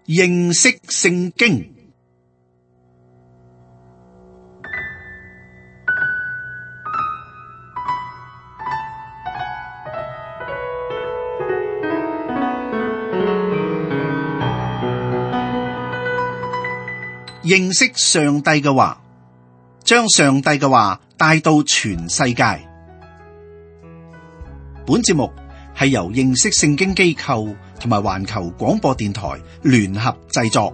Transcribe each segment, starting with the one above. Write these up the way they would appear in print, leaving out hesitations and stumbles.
認識聖經。認識上帝嘅話，將上帝嘅話帶到全世界。本節目係由認識聖經機構同埋環球廣播電台聯合製作。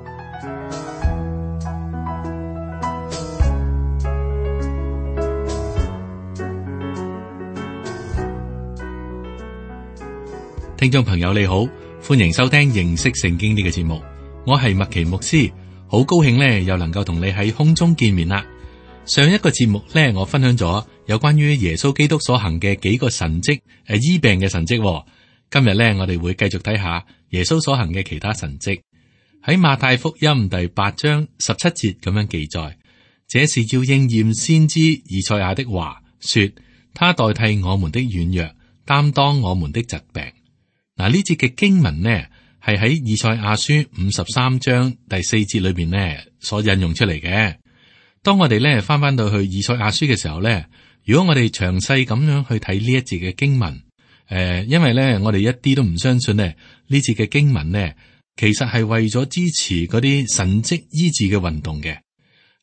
聽眾朋友你好，歡迎收聽認識聖經呢個節目，我係麥奇牧師。好高興咧，又能夠同你喺空中見面啦。上一個節目咧，我分享咗有關於耶穌基督所行嘅幾個神蹟，醫病嘅神蹟。今日咧，我哋會繼續睇下耶穌所行嘅其他神蹟。喺馬太福音第8章17節咁樣記載，這是要應驗先知以賽亞的話，說他代替我們的軟弱，擔當我們的疾病。嗱，呢節嘅經文呢，係喺以賽亞書53章第4節裏邊呢所引用出嚟嘅。當我哋咧翻到去以賽亞書嘅時候咧，如果我哋詳細咁樣去睇呢一節嘅經文，因為咧我哋一啲都唔相信呢節嘅經文呢，其實係為咗支持嗰啲神蹟醫治嘅運動嘅。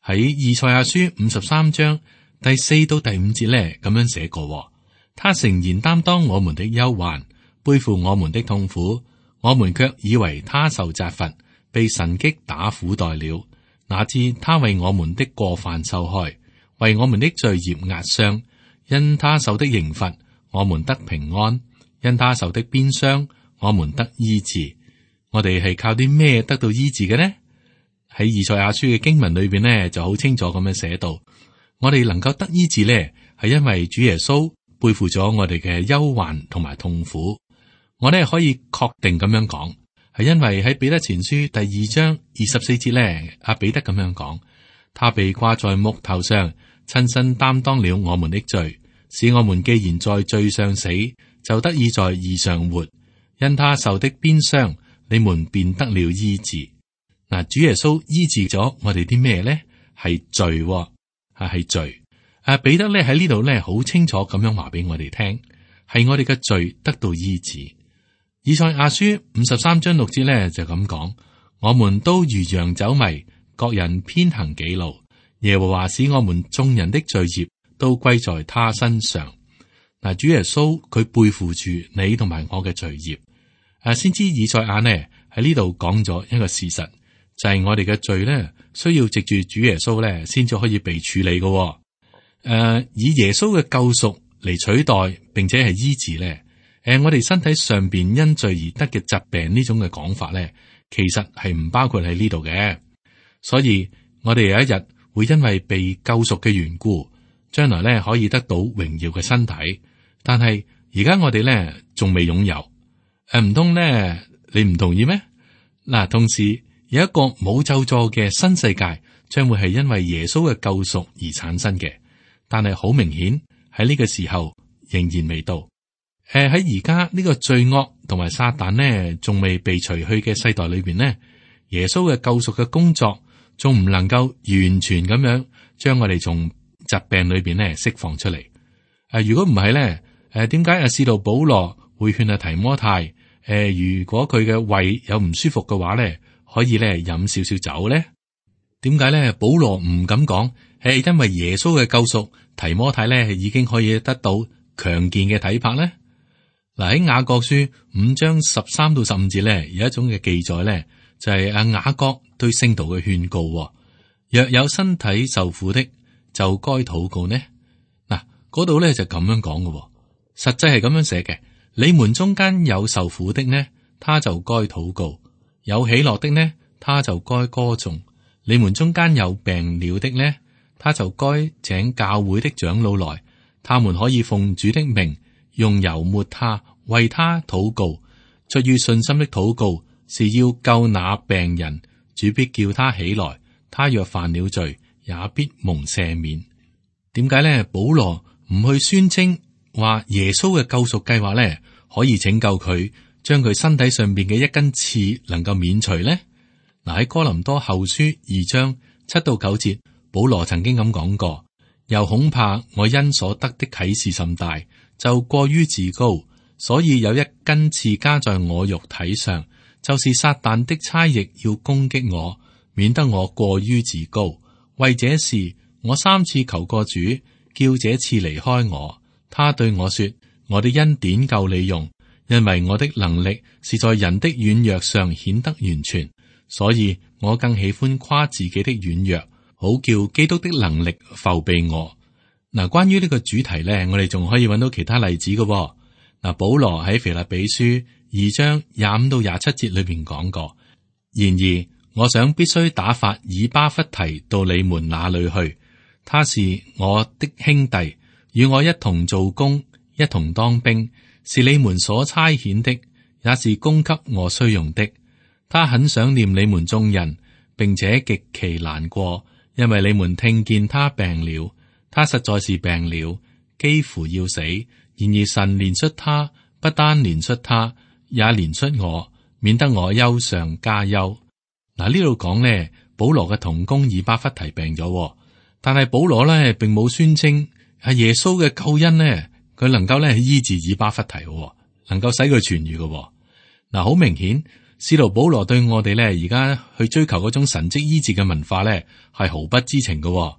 喺以賽亞書53章第4到第5節咧咁樣寫過，他誠然擔當我們的憂患，背負我們的痛苦。我們卻以為他受責罰，被神擊打苦待了。哪知他為我們的過犯受害，為我們的罪孽壓傷。因他受的刑罰，我們得平安；因他受的鞭傷，我們得醫治。我哋係靠啲咩得到醫治嘅呢？喺以賽亞書嘅經文裏邊呢，就好清楚咁樣寫到，我哋能夠得醫治呢，係因為主耶穌背負咗我哋嘅憂患同埋痛苦。我哋可以確定咁樣講，係因為喺彼得前書第2章24節咧，阿彼得咁樣講，他被掛在木頭上，親身擔當了我們的罪，使我們既然在罪上死，就得以在義上活。因他受的鞭傷，你們便得了醫治。嗱，主耶穌醫治咗我哋啲咩咧？係罪，係罪。彼得咧喺呢度咧好清楚咁樣話俾我哋聽，係我哋嘅罪得到醫治。以賽亞書53章6節咧就咁講，我們都如羊走迷，各人偏行己路。耶和華使我們眾人的罪孽都歸在他身上。嗱，主耶穌佢背負住你同埋我嘅罪孽。先知以賽亞呢喺呢度講咗一個事實，就係我哋嘅罪咧需要藉住主耶穌咧先至可以被處理嘅。以耶穌嘅救贖嚟取代，並且係醫治咧。我哋身體上邊因罪而得嘅疾病呢種嘅講法咧，其實係唔包括喺呢度嘅。所以我哋有一日會因為被救贖嘅緣故，將來咧可以得到榮耀嘅身體。但係而家我哋咧仲未擁有，唔通咧你唔同意咩？嗱，同時有一個冇咒詛嘅新世界，將會係因為耶穌嘅救贖而產生嘅。但係好明顯喺呢個時候仍然未到。喺而家呢個罪惡同埋撒旦呢，仲未被除去嘅世代裏邊呢，耶穌嘅救贖嘅工作仲唔能夠完全咁樣將我哋從疾病裏邊呢釋放出嚟。如果唔係咧，點解使徒保羅會勸提摩太？如果佢嘅胃有唔舒服嘅話咧，可以咧飲少少酒咧？點解咧？保羅唔敢講，係因為耶穌嘅救贖，提摩太咧已經可以得到強健嘅體魄咧。嗱，喺雅各書5章13到15節咧，有一種嘅記載咧，就係雅各對聖徒嘅勸告。若有身體受苦的，就該禱告呢。嗱，嗰度咧就咁樣講嘅，實際係咁樣寫嘅。你們中間有受苦的呢，他就該禱告；有喜樂的呢，他就該歌頌。你們中間有病了的呢，他就該請教會的長老來，他們可以奉主的名，用油抹他，為他禱告。出於信心的禱告是要救那病人，主必叫他起來。他若犯了罪，也必蒙赦免。點解咧？保羅唔去宣稱話耶穌嘅救贖計劃咧，可以拯救佢，將佢身體上邊嘅一根刺能夠免除咧？嗱，喺哥林多後書2章7到9節，保羅曾經咁講過，又恐怕我因所得的啟示甚大，就過於自高，所以有一根刺加在我肉體上，就是撒旦的差役要攻擊我，免得我過於自高。為這事，我3次求過主，叫這刺離開我。他對我說：我的恩典夠你用，因為我的能力是在人的軟弱上顯得完全。所以我更喜歡誇自己的軟弱，好叫基督的能力覆庇我。嗱，關於呢個主題呢，我哋仲可以揾到其他例子嘅。嗱，保羅喺腓立比書2章25到27節裏邊講過。然而，我想必須打發以巴弗提到你們那裏去，他是我的兄弟，與我一同做工，一同當兵，是你們所差遣的，也是供給我需用的。他很想念你們眾人，並且極其難過，因為你們聽見他病了，他實在是病了，幾乎要死。然而神憐恤他，不單憐恤他，也憐恤我，免得我憂上加憂。嗱，呢度講呢，保羅嘅同工以巴弗提病咗，但係保羅呢並冇宣稱係耶穌嘅救恩呢，佢能夠咧醫治以巴弗提，能夠使佢痊愈嘅。嗱，好明顯。使徒保羅對我哋咧，而家去追求嗰種神蹟醫治嘅文化咧，係毫不知情嘅。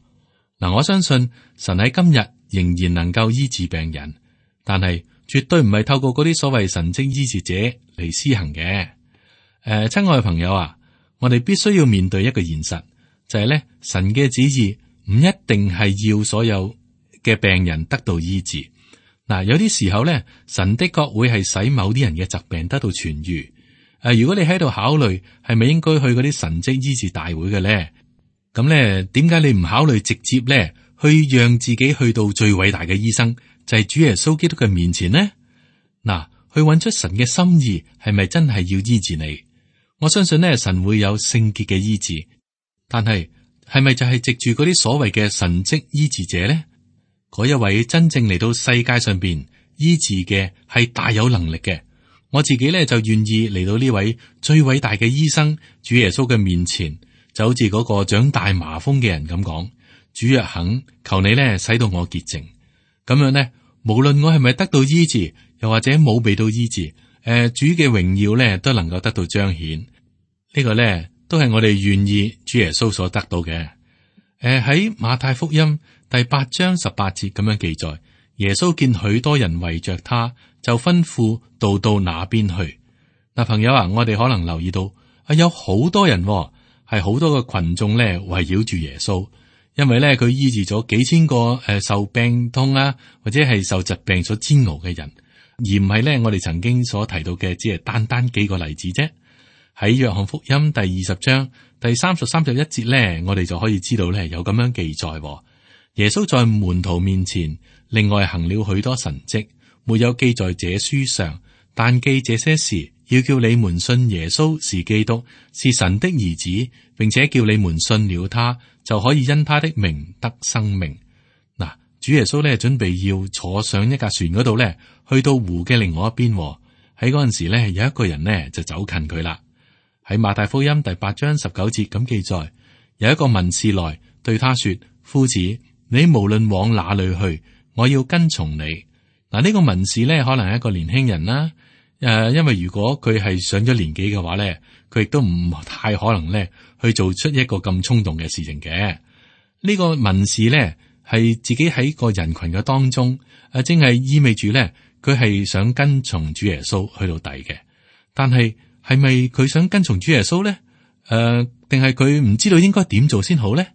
嗱，我相信神喺今日仍然能夠醫治病人，但係絕對唔係透過嗰啲所謂神蹟醫治者嚟施行嘅。親愛嘅朋友啊，我哋必須要面對一個現實，就係咧，神嘅旨意唔一定係要所有嘅病人得到醫治。嗱，有啲時候咧，神的確會係使某啲人嘅疾病得到痊愈。如果你喺度考慮係咪應該去嗰啲神蹟醫治大會嘅咧，咁咧點解你唔考慮直接咧去讓自己去到最偉大嘅醫生，就係主耶穌基督嘅面前呢？嗱，去揾出神嘅心意係咪真係要醫治你？我相信咧，神會有聖潔嘅醫治，但係係咪就係藉住嗰啲所謂嘅神蹟醫治者咧？嗰一位真正嚟到世界上邊醫治嘅係大有能力嘅。我自己咧就願意嚟到呢位最偉大嘅醫生主耶穌嘅面前，就好似嗰個長大麻風嘅人咁講：主若肯，求你咧使到我潔淨。咁樣呢，無論我係咪得到醫治，又或者冇被到醫治，主嘅榮耀咧都能夠得到彰顯。呢個咧都係我哋願意主耶穌所得到嘅。喺馬太福音第8章18節咁樣記載，耶穌見許多人圍着他，就吩咐到那邊去。嗱，朋友啊，我哋可能留意到有好多人係好多個群眾咧圍繞住耶穌，因為咧佢醫治咗幾千個受病痛啊，或者係受疾病所煎熬嘅人，而唔係咧我哋曾經所提到嘅只係單幾個例子啫。喺約翰福音第20章第30、31節咧，我哋就可以知道咧有咁樣記載，耶穌在門徒面前另外行了許多神蹟，沒有記在這書上，但記這些事，要叫你們信耶穌是基督，是神的兒子，並且叫你們信了他，就可以因他的名得生命。嗱，主耶穌咧準備要坐上一架船嗰度咧，去到湖嘅另外一邊。喺嗰陣時咧，有一個人呢就走近佢啦。喺馬太福音第8章19節咁記載，有一個文士來對他說：夫子，你無論往哪裏去，我要跟從你。嗱，呢個文士咧可能係一個年輕人啦。因為如果佢係上咗年紀嘅話咧，佢亦都唔太可能咧去做出一個咁衝動嘅事情嘅。呢個文士咧係自己喺個人群嘅當中，正係意味住咧佢係想跟從主耶穌去到底嘅。但係係咪佢想跟從主耶穌咧？定係佢唔知道應該點做先好咧？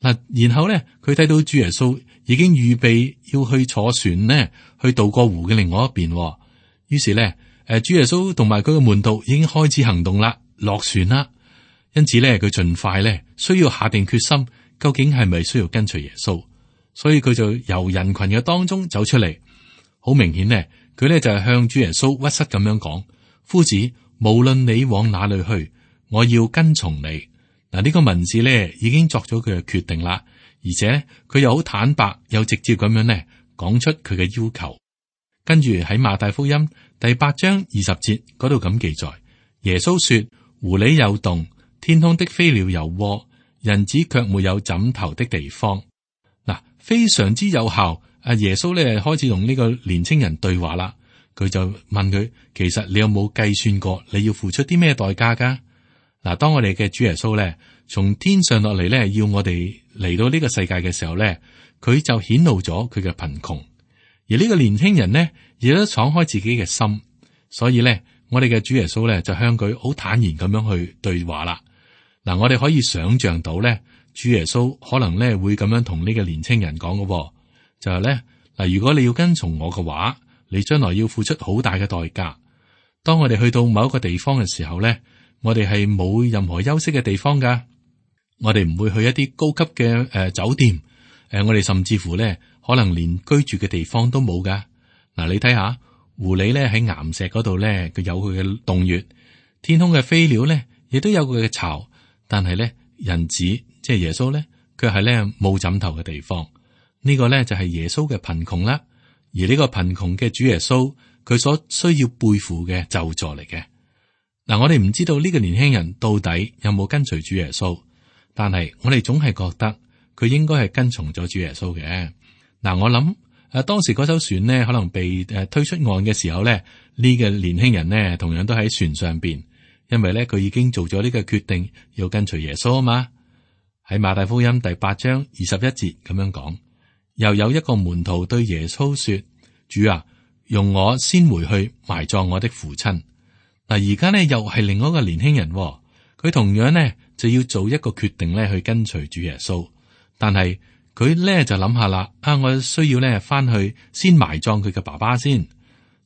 嗱，然後咧佢睇到主耶穌已經預備要去坐船呢，去渡過湖嘅另外一邊。於是咧，主耶穌同埋佢嘅門徒已經開始行動啦，落船啦。因此咧，佢盡快咧需要下定決心，究竟係咪需要跟隨耶穌？所以佢就由人群嘅當中走出嚟。好明顯咧，佢咧就係向主耶穌屈膝咁樣講：夫子，無論你往哪裏去，我要跟從你。嗱，呢個文士咧已經作咗佢嘅決定啦，而且佢又好坦白又直接咁樣咧講出佢嘅要求。跟住喺馬太福音第8章20節嗰度咁記載，耶穌說：湖裏有洞，天空的飛鳥有窩，人子卻沒有枕頭的地方。嗱，非常之有效。阿耶穌咧開始同呢個年青人對話啦。佢就問佢，其實你有冇計算過你要付出啲咩代價噶？嗱，當我哋嘅主耶穌咧從天上落嚟咧，要我哋嚟到呢個世界嘅時候咧，佢就顯露咗佢嘅貧窮。而呢個年輕人呢，亦都敞開自己嘅心，所以咧，我哋嘅主耶穌咧就向佢好坦然咁樣去對話啦。嗱，我哋可以想象到咧，主耶穌可能咧會咁樣同呢個年輕人講嘅，就係咧嗱，如果你要跟從我嘅話，你將來要付出好大嘅代價。當我哋去到某一個地方嘅時候咧，我哋係冇任何休息嘅地方噶，我哋唔會去一啲高級嘅酒店，我哋甚至乎咧可能連居住嘅地方都冇噶。嗱，你睇下狐狸咧喺岩石嗰度咧，佢有佢嘅洞穴；天空嘅飛鳥咧，亦都有佢嘅巢。但係咧，人子即係耶穌咧，卻係咧冇枕頭嘅地方。呢個咧就係耶穌嘅貧窮啦。而呢個貧窮嘅主耶穌，佢所需要背負嘅咒詛嚟嘅。嗱，我哋唔知道呢個年輕人到底有冇跟隨主耶穌，但係我哋總係覺得佢應該係跟從咗主耶穌嘅。嗱，我諗當時嗰艘船呢，可能被推出岸嘅時候咧，呢個年輕人呢，同樣都喺船上邊，因為咧佢已經做咗呢個決定要跟隨耶穌啊嘛。喺馬太福音第8章21節咁樣講。又有一個門徒對耶穌說：主啊，容我先回去埋葬我的父親。嗱，而家呢又係另外一個年輕人，佢同樣呢就要做一個決定呢去跟隨主耶穌。但係佢呢就諗下啦，我需要呢翻去先埋葬佢嘅爸爸先。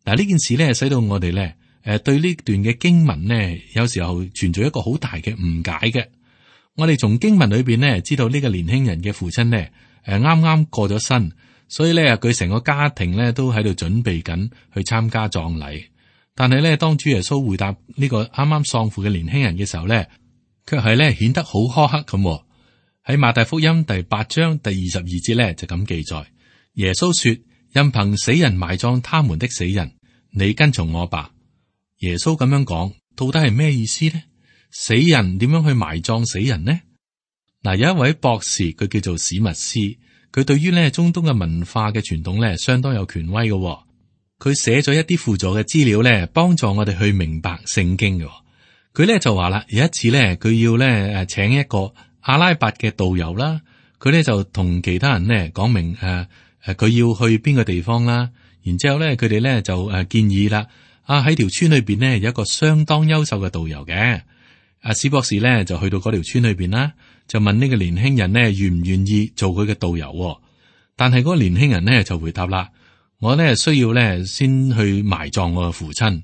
嗱，呢件事呢使到我哋呢對呢段嘅經文呢有時候存在一個好大嘅誤解嘅。我哋從經文裏邊呢知道呢個年輕人嘅父親呢。啱啱過咗身，所以咧佢成個家庭咧都喺度準備緊去參加葬禮。但係咧，當主耶穌回答呢個啱啱喪父嘅年輕人嘅時候咧，卻係咧顯得好苛刻咁。喺馬太福音第8章第22節咧就咁記載：耶穌說，任憑死人埋葬他們的死人，你跟從我吧。耶穌咁樣講，到底係咩意思呢？死人點樣去埋葬死人呢？嗱，有一位博士，佢叫做史密斯，佢對於咧中東嘅文化嘅傳統咧相當有權威嘅。佢寫咗一啲輔助嘅資料咧，幫助我哋去明白聖經嘅。佢咧就話啦，有一次咧，佢要咧請一個阿拉伯嘅導遊啦，佢咧就同其他人咧講明佢要去邊個地方啦。然之後咧，佢哋咧就建議啦，喺條村裏邊呢，有一個相當優秀嘅導遊嘅。史博士咧就去到嗰條村裏邊啦。就問呢個年輕人呢，願唔願意做佢嘅導遊？但係嗰個年輕人呢，就回答啦，我呢需要呢先去埋葬我嘅父親。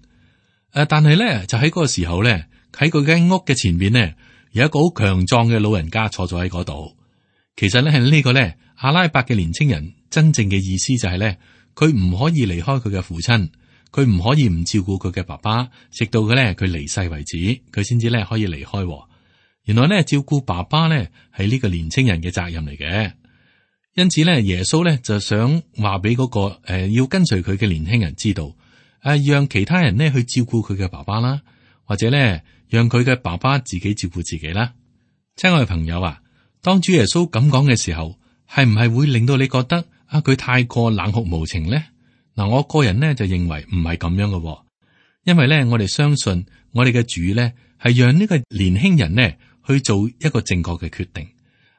但係呢，就喺嗰個時候呢，喺佢間屋嘅前面呢，有一個好強壯嘅老人家坐咗喺嗰度。其實呢，係呢個呢阿拉伯嘅年輕人真正嘅意思就係呢，佢唔可以離開佢嘅父親，佢唔可以唔照顧佢嘅爸爸，直到佢呢佢離世為止，佢先至呢可以離開。原來咧照顧爸爸咧係呢個年青人嘅責任嚟嘅，因此咧耶穌咧就想話俾嗰個要跟隨佢嘅年輕人知道，讓其他人呢去照顧佢嘅爸爸啦，或者咧讓佢嘅爸爸自己照顧自己啦。親愛嘅朋友啊，當主耶穌咁講嘅時候，係唔係會令到你覺得佢太過冷酷無情咧？嗱，我個人呢就認為唔係咁樣嘅，因為咧我哋相信我哋嘅主咧係讓呢個年輕人呢。去做一個正確嘅決定，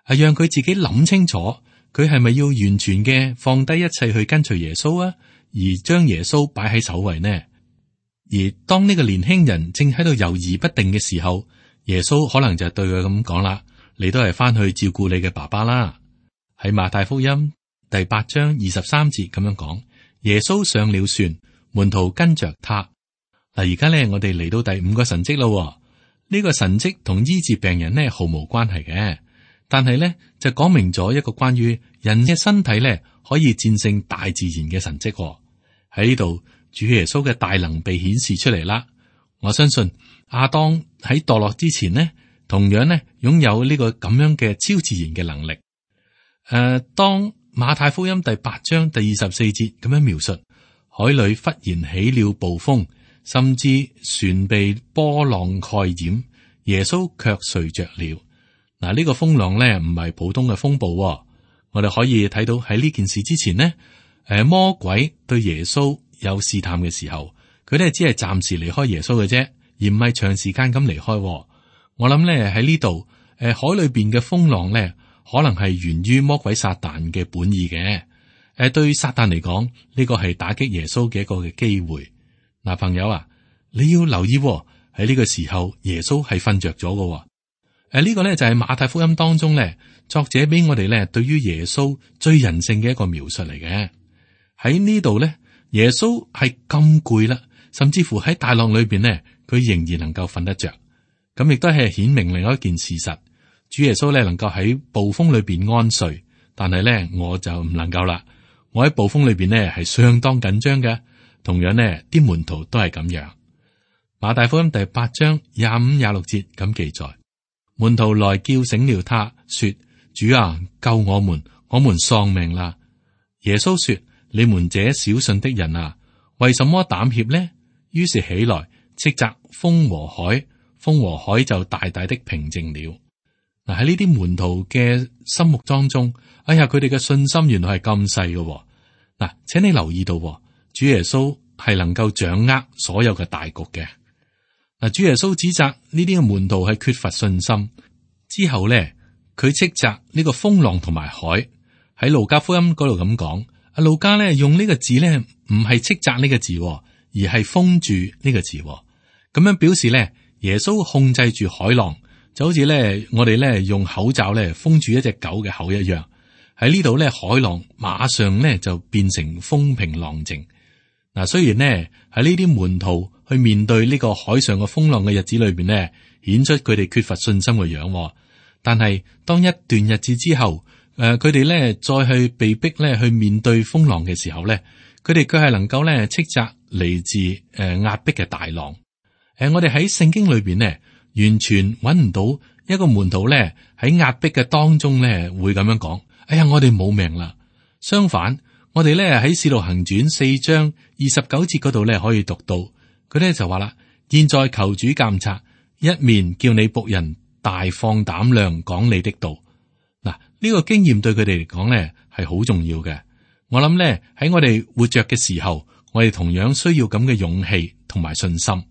讓佢自己諗清楚，佢係咪要完全嘅放低一切去跟隨耶穌啊？而將耶穌擺喺首位呢？而當呢個年輕人正喺度猶豫不定嘅時候，耶穌可能就對佢咁講啦：你都係翻去照顧你嘅爸爸啦。喺馬太福音第8章23節咁樣講，耶穌上了船，門徒跟着他。嗱，而家咧我哋嚟到第5個神蹟咯。呢個神蹟同醫治病人呢毫無關係嘅，但係呢就講明咗一個關於人嘅身體呢可以戰勝大自然嘅神蹟。喺呢度，主耶穌嘅大能被顯示出嚟啦。我相信亞當喺墮落之前呢，同樣呢擁有呢個咁樣嘅超自然嘅能力。當馬太福音第8章第24節咁樣描述，海裏忽然起了暴風，甚至船被波浪蓋掩，耶穌卻睡着了。嗱，呢個風浪咧唔係普通嘅風暴，我哋可以睇到喺呢件事之前呢，魔鬼對耶穌有試探嘅時候，佢咧只係暫時離開耶穌嘅啫，而唔係長時間咁離開。我諗咧喺呢度，海裏邊嘅風浪咧，可能係源於魔鬼撒旦嘅本意嘅。對撒旦嚟講，呢個係打擊耶穌嘅一個嘅機會。嗱，朋友啊，你要留意喺呢個時候，耶穌係瞓着咗嘅。呢個咧就係馬太福音當中咧，作者俾我哋咧對於耶穌最人性嘅一個描述嚟嘅。喺呢度咧，耶穌係咁攰啦，甚至乎喺大浪裏邊咧，佢仍然能夠瞓得着。咁亦都係顯明另外一件事實，主耶穌咧能夠喺暴風裏邊安睡，但係咧我就唔能夠啦。我喺暴風裏邊呢係相當緊張嘅，同樣呢啲門徒都係咁樣。馬太福音第8章25、26節咁記載，門徒來叫醒了他，說：主啊，救我們，我們喪命啦！耶穌說：你們這小信的人啊，為什麼膽怯呢？於是起來斥責風和海，風和海就大大的平靜了。嗱，喺呢啲門徒嘅心目當中，哎呀，佢哋嘅信心原來係咁細嘅。嗱，請你留意到，主耶穌係能夠掌握所有嘅大局嘅。嗱，主耶穌指責呢啲嘅門徒係缺乏信心，之後咧，佢斥責呢個風浪同埋海。喺路加福音嗰度咁講，阿路加咧用呢個字咧唔係斥責呢個字，而係封住呢個字，咁樣表示咧耶穌控制住海浪，就好似咧我哋咧用口罩咧封住一隻狗嘅口一樣。喺呢度咧，海浪馬上咧就變成風平浪靜。嗱，雖然呢，喺呢啲門徒去面對呢個海上嘅風浪嘅日子裏邊呢，顯出佢哋缺乏信心嘅樣。但係當一段日子之後，佢哋咧再去被逼咧去面對風浪嘅時候咧，佢哋卻係能夠咧斥責嚟自壓迫嘅大浪。我哋喺聖經裏邊呢，完全揾唔到一個門徒咧喺壓迫嘅當中咧會咁樣講：哎呀，我哋冇命啦！相反，我哋咧喺《使徒行傳》4章29節嗰度咧可以讀到，佢咧就話啦：現在求主監察，一面叫你僕人大放膽量講你的道。嗱，呢個經驗對佢哋嚟講咧係好重要嘅。我諗咧喺我哋活着嘅時候，我哋同樣需要咁嘅勇氣同埋信心。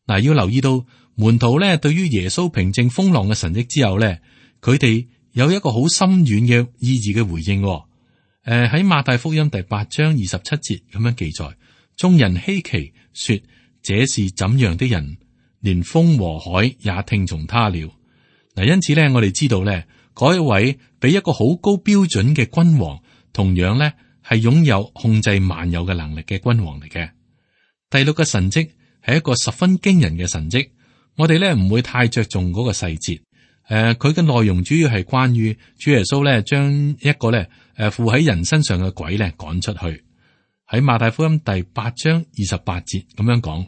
嗱，要留意到門徒咧對於耶穌平靜風浪嘅神蹟之後咧，佢哋有一個好深遠嘅意義嘅回應。喺馬太福音第8章27節咁樣記載，眾人稀奇說：這是怎樣的人，連風和海也聽從他了。嗱，因此咧，我哋知道咧，嗰一位比一個好高標準嘅君王，同樣咧係擁有控制萬有嘅能力嘅君王嚟嘅。第6個神蹟係一個十分驚人嘅神蹟，我哋咧唔會太着重嗰個細節。佢嘅內容主要係關於主耶穌咧將一個咧附喺人身上嘅鬼咧趕出去。喺馬太福音第8章28節咁樣講，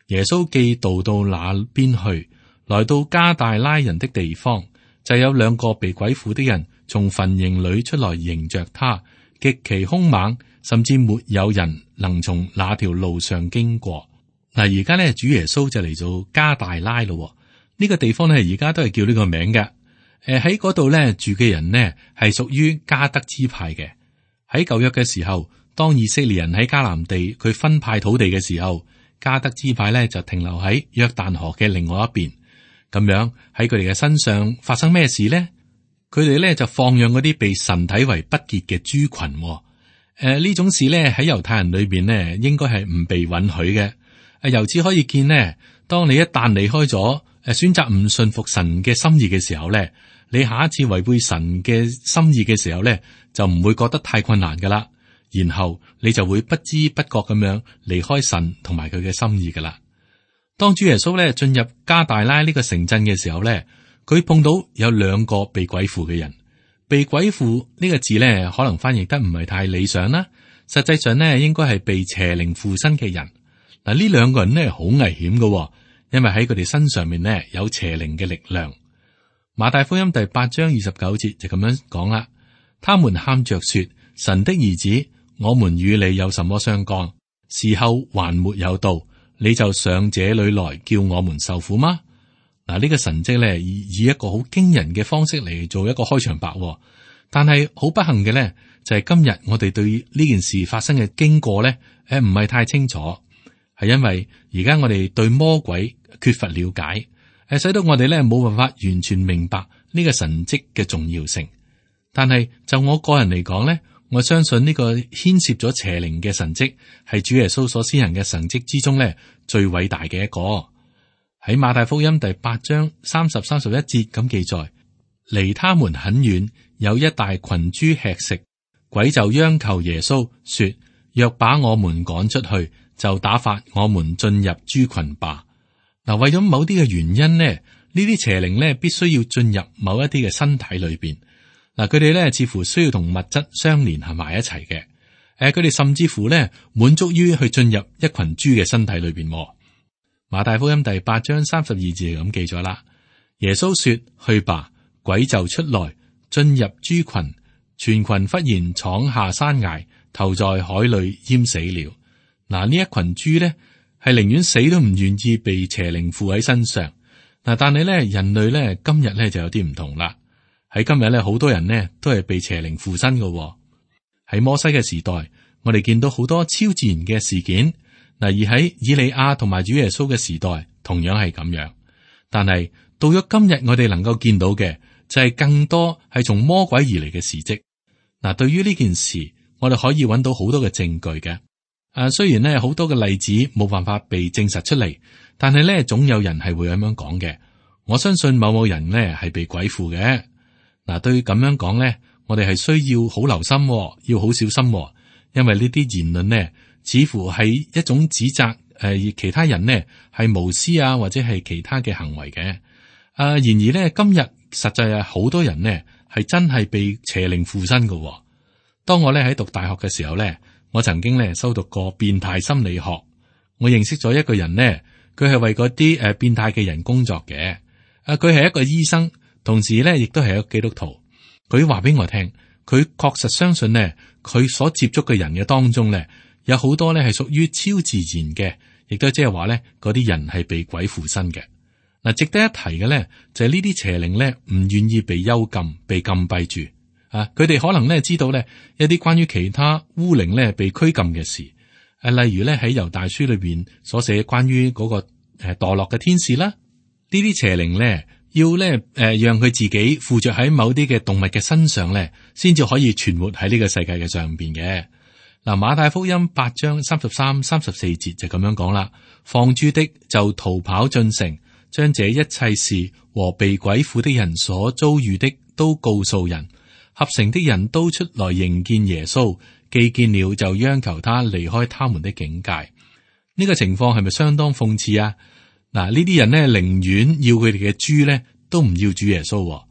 耶穌既渡到那邊去，來到加大拉人的地方，就有2個被鬼附的人從墳塋裏出來迎着他，極其兇猛，甚至沒有人能從那條路上經過。嗱，而家咧主耶穌就嚟到加大拉咯。呢個地方咧，而家都係叫呢個名嘅。喺嗰度咧住嘅人呢，係屬於迦得支派嘅。喺舊約嘅時候，當以色列人喺迦南地佢分派土地嘅時候，迦得支派咧就停留喺約旦河嘅另外一邊。咁樣喺佢哋嘅身上發生咩事呢？佢哋咧就放養嗰啲被神睇為不潔嘅豬群。呢種事咧喺猶太人裏邊呢，應該係唔被允許嘅。由此可以見呢，當你一旦離開咗選擇唔信服神嘅心意嘅時候咧，你下一次違背神嘅心意嘅時候咧，就唔會覺得太困難噶啦。然後你就會不知不覺咁樣離開神同埋佢嘅心意噶啦。當主耶穌咧進入加大拉呢個城鎮嘅時候咧，佢碰到有2個被鬼附嘅人。被鬼附呢個字咧，可能翻譯得唔係太理想啦。實際上咧，應該係被邪靈附身嘅人。嗱，呢2個人咧好危險噶。因為喺佢哋身上面呢，有邪靈嘅力量。馬太福音第8章29節就咁樣講啦。他們喊着說：神的兒子，我們與你有什麼相干？時候還沒有到，你就上這裏來叫我們受苦嗎？嗱，呢個神蹟咧以一個好驚人嘅方式嚟做一個開場白，但係好不幸嘅咧就係今日我哋對呢件事發生嘅經過咧，唔係太清楚，係因為而家我哋對魔鬼缺乏了解，使到我哋咧冇辦法完全明白呢個神蹟嘅重要性。但係就我個人嚟講咧，我相信呢個牽涉咗邪靈嘅神蹟係主耶穌所施行嘅神蹟之中咧最偉大嘅一個。喺馬太福音第8章30、31節咁記載，離他們很遠，有一大群豬吃食，鬼就央求耶穌說：若把我們趕出去，就打發我們進入豬群吧。嗱，為咗某啲嘅原因呢，呢啲邪靈呢必須要進入某一啲嘅身體裏邊。嗱，佢哋呢似乎需要同物質相連係埋一齊嘅。佢哋甚至乎呢滿足於去進入一群豬嘅身體裏邊。馬太福音第8章32節咁記咗啦。耶穌說：去吧，鬼就出來進入豬群，全群忽然闖下山崖，投在海裏淹死了。嗱，呢一群豬呢係寧願死都唔願意被邪靈附喺身上。嗱，但係咧人類咧今日咧就有啲唔同啦。喺今日咧好多人呢都係被邪靈附身嘅。喺摩西嘅時代，我哋見到好多超自然嘅事件。嗱，而喺以利亞同埋主耶穌嘅時代，同樣係咁樣。但係到咗今日，我哋能夠見到嘅就係更多係從魔鬼而嚟嘅事蹟。嗱，對於呢件事，我哋可以揾到好多嘅證據嘅。雖然呢好多嘅例子冇辦法被證實出嚟，但係呢總有人係會咁樣講嘅。我相信某某人呢係被鬼附嘅。嗱，對於咁樣講呢，我哋係需要好留心，要好小心，因為呢啲言論呢，似乎係一種指責其他人呢係無私啊，或者係其他嘅行為嘅。然而呢，今日實際係好多人呢係真係被邪靈附身嘅。當我呢喺讀大學嘅時候呢，我曾經呢修讀過變態心理學。我認識咗一個人呢，佢係為嗰啲變態嘅人工作嘅。佢係一個醫生，同時呢亦都係一個基督徒。佢話俾我聽，佢確實相信呢，佢所接觸嘅人嘅當中呢，有好多呢係屬於超自然嘅，亦都即係話呢嗰啲人係被鬼附身嘅。嗱，值得一提嘅呢，就係呢啲邪靈呢唔願意被幽禁、被禁閉住。佢哋可能呢知道呢一啲關於其他污靈呢被拘禁嘅事。例如呢喺猶大書裏邊所寫關於嗰個墮落嘅天使啦，呢啲邪靈呢要呢讓佢自己附着喺某啲嘅動物嘅身上呢，先至可以存活喺呢個世界嘅上邊嘅。嗱，馬太福音8章33、34節就咁樣講啦。放豬的就逃跑進城，將這一切事和被鬼附的人所遭遇的都告訴人。合城的人都出來迎見耶穌，既見了就央求他離開他們的境界。呢個情況係咪相當諷刺啊？嗱，呢啲人呢寧願要佢哋嘅豬呢，都唔要主耶穌。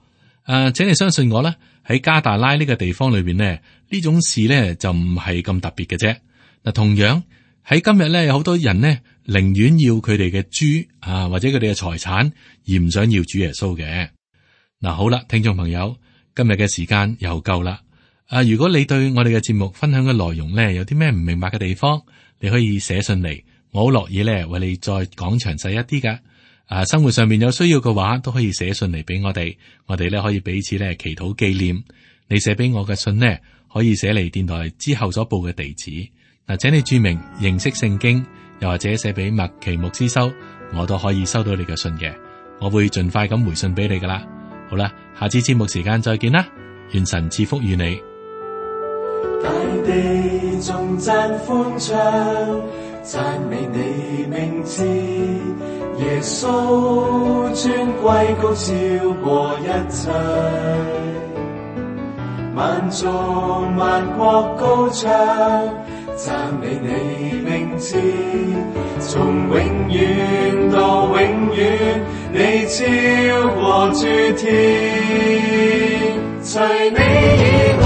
請你相信我啦，喺加大拉呢個地方裏邊呢，呢種事呢就唔係咁特別嘅啫。嗱，同樣喺今日呢，有好多人呢寧願要佢哋嘅豬或者佢哋嘅財產，而唔想要主耶穌嘅。嗱，好啦，聽眾朋友，今日嘅時間又夠啦。如果你對我哋嘅節目分享嘅內容呢，有啲咩唔明白嘅地方，你可以寫信嚟，我好樂意呢為你再講詳細一啲噶。生活上面有需要嘅話，都可以寫信嚟俾我哋，我哋呢可以彼此呢祈禱紀念。你寫俾我嘅信呢，可以寫嚟電台之後所報嘅地址。嗱，請你注明認識聖經，又或者寫俾麥奇牧師收，我都可以收到你嘅信嘅。我會盡快咁回信俾你噶啦。好啦，下次節目時間再見啦，願神賜福與你。大地頌讚歡唱，讚美你名字，耶穌尊貴高超過一切，萬族萬國高唱，讚美你名字，從永遠到永遠，你超過諸天，除你以外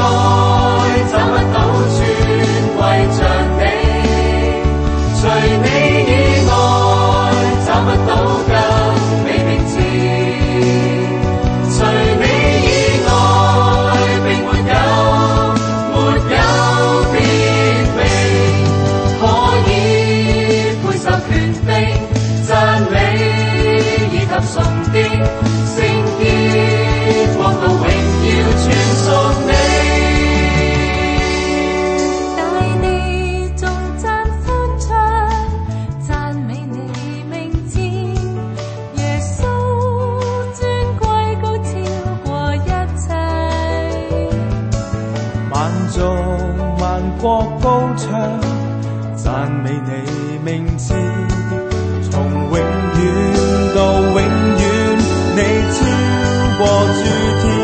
找不到尊貴像你，除你以外找不到更美名字，除你以外並沒有別名可以配受權柄讚美以及崇敬。國高唱，讚美你名字，從永遠到永遠，你超過諸天。